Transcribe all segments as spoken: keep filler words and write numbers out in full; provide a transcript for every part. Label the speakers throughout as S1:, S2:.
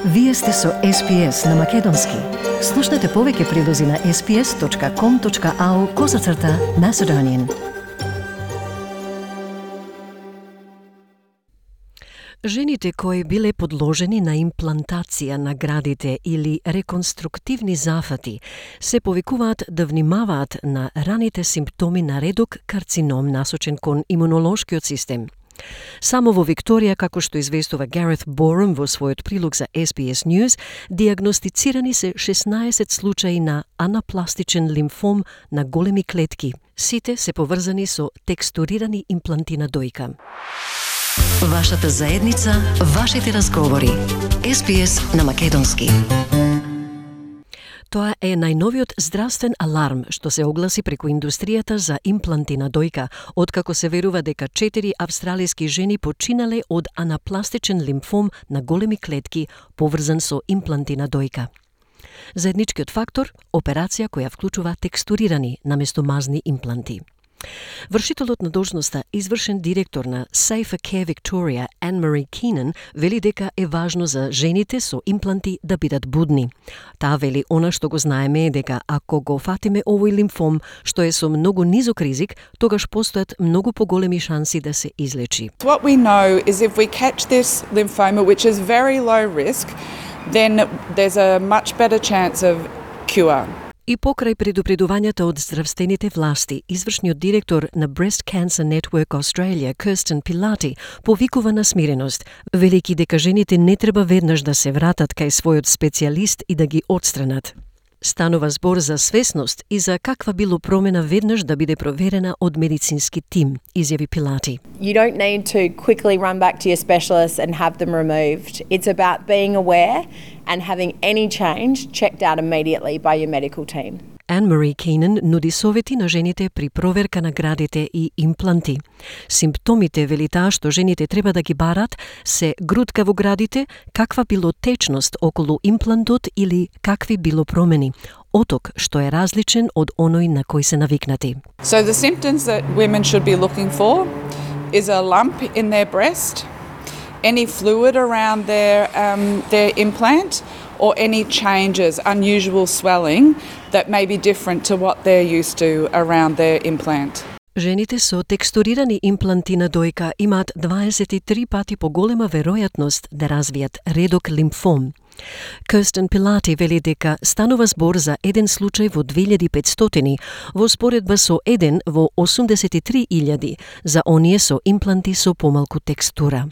S1: Вие сте со Ес Би Ес на Македонски. Слушнете повеќе прилози на ес би ес точка ком точка ау козацрта Macedonian. Жените кои биле подложени на имплантација на градите или реконструктивни зафати се повикуваат да внимаваат на раните симптоми на редок карцином насочен кон имунолошкиот систем. Само во Викторија, како што известува Гарет Борум во својот прилог за Ес Би Ес News, диагностицирани се шеснаесет случаи на анапластичен лимфом на големи клетки. Сите се поврзани со текстурирани импланти на дојка. Вашата заедница, вашите разговори. Ес Би Ес на Македонски. Тоа е најновиот здравствен аларм што се огласи преку индустријата за импланти на дојка, откако се верува дека четири австралиски жени починале од анапластичен лимфом на големи клетки поврзан со импланти на дојка. Заедничкиот фактор – операција која вклучува текстурирани наместо мазни импланти. Вршителот на должноста, извршен директор на Safer Care Victoria, Anne-Marie Keenan, вели дека е важно за жените со импланти да бидат будни. Таа вели она што го знаеме е дека ако го фатиме овој лимфом, што е со многу низок ризик, тогаш постојат многу поголеми шанси да се излечи.
S2: What we know is if we catch this lymphoma, which is very low risk, then there's a much better chance of cure.
S1: И покрај предупредувањата од здравствените власти, извршниот директор на Breast Cancer Network Australia, Kirsten Pilati, повикува на смиреност, велики дека жените не треба веднаш да се вратат кај својот специјалист и да ги отстранат. Станува збор за свесност и за каква било промена веднаш да биде проверена од медицински тим, изјави Пилати.
S3: You don't need to quickly run back to your specialist and have them removed. It's about being aware and having any change checked out immediately by your medical team.
S1: Anne-Marie Keenan нуди совети на жените при проверка на градите и импланти. Симптомите, вели таа, што жените треба да ги барат, се грудка во градите, каква било течност околу имплантот или какви било промени. Оток што е различен од оној на кој се навикнати.
S2: So the symptoms that women should be looking for is a lump in their breast, any fluid around their um, their implant, or any changes, unusual swelling that may be different to what they're used to around their implant.
S1: Жените со текстурирани импланти на дојка имаат дваесет и три пати поголема веројатност да развијат редок лимфом. Kirsten Pilati вели дека станува збор за еден случај во две илјади и петстотини, во споредба со еден во осумдесет и три илјади за оние со импланти со помалку текстура.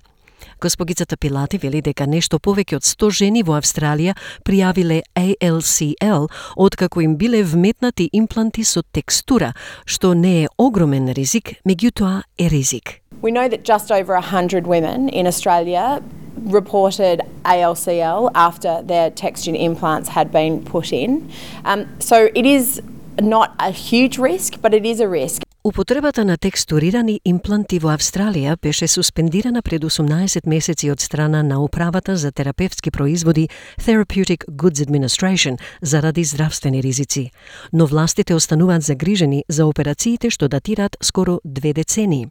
S1: Госпогицата Пилати вели дека нешто повеќе од сто жени во Австралија пријавиле А Л Си Л откако им биле вметнати импланти со текстура, што не е огромен ризик, меѓутоа е ризик.
S3: We know that just over one hundred women in Australia reported A L C L after their textured implants had been put in. Um, so it is not a huge risk, but it is a risk.
S1: Употребата на текстурирани импланти во Австралија беше суспендирана пред осумнаесет месеци од страна на Управата за терапевтски производи Therapeutic Goods Administration заради здравствени ризици, но властите остануваат загрижени за операциите што датираат скоро две децении.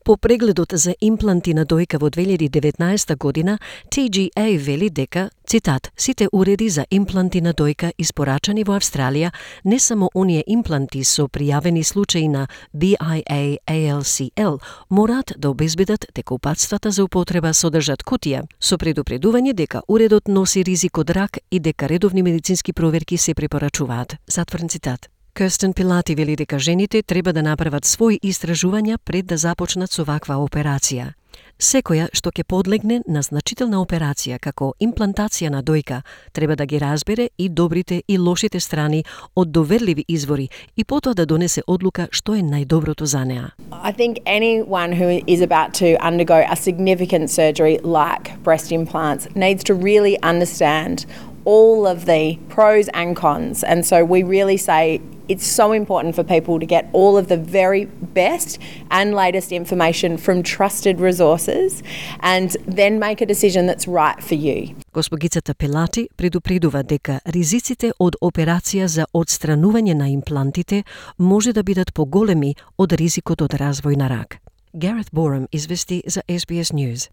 S1: По прегледот за импланти на дојка во две илјади и деветнаесета година, Т Г А вели дека, цитат, сите уреди за импланти на дојка испорачани во Австралија, не само оние импланти со пријавени случаи на Би Ај А А Л Си Л, мораат да обезбедат дека упатствата за употреба содржат кутија со предупредување дека уредот носи ризик од рак и дека редовни медицински проверки се препорачуваат. Затворен цитат. Kirsten Pilati вели дека жените треба да направат своји истражувања пред да започнат со ваква операција. Секоја што ќе подлегне на значителна операција како имплантација на дојка треба да ги разбере и добрите и лошите страни од доверливи извори и потоа да донесе одлука што е најдоброто за неа.
S3: I think anyone who is about to undergo a significant surgery like breast implants needs to really understand all of the pros and cons. And so we really say it's so important for people to get all of the very best and latest information from trusted resources and then make a decision that's right for you.
S1: Госпогицата Пилати предупредува дека ризиците од операција за одстранување на имплантите може да бидат поголеми од ризикот од развој на рак. Гарет Борум извести за Ес Би Ес News.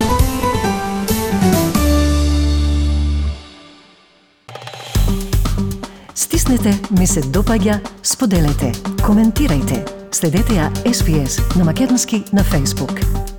S1: Стиснете ми се допаѓа, споделете, коментирајте. Следете ја Ес Би Ес на македонски на Facebook.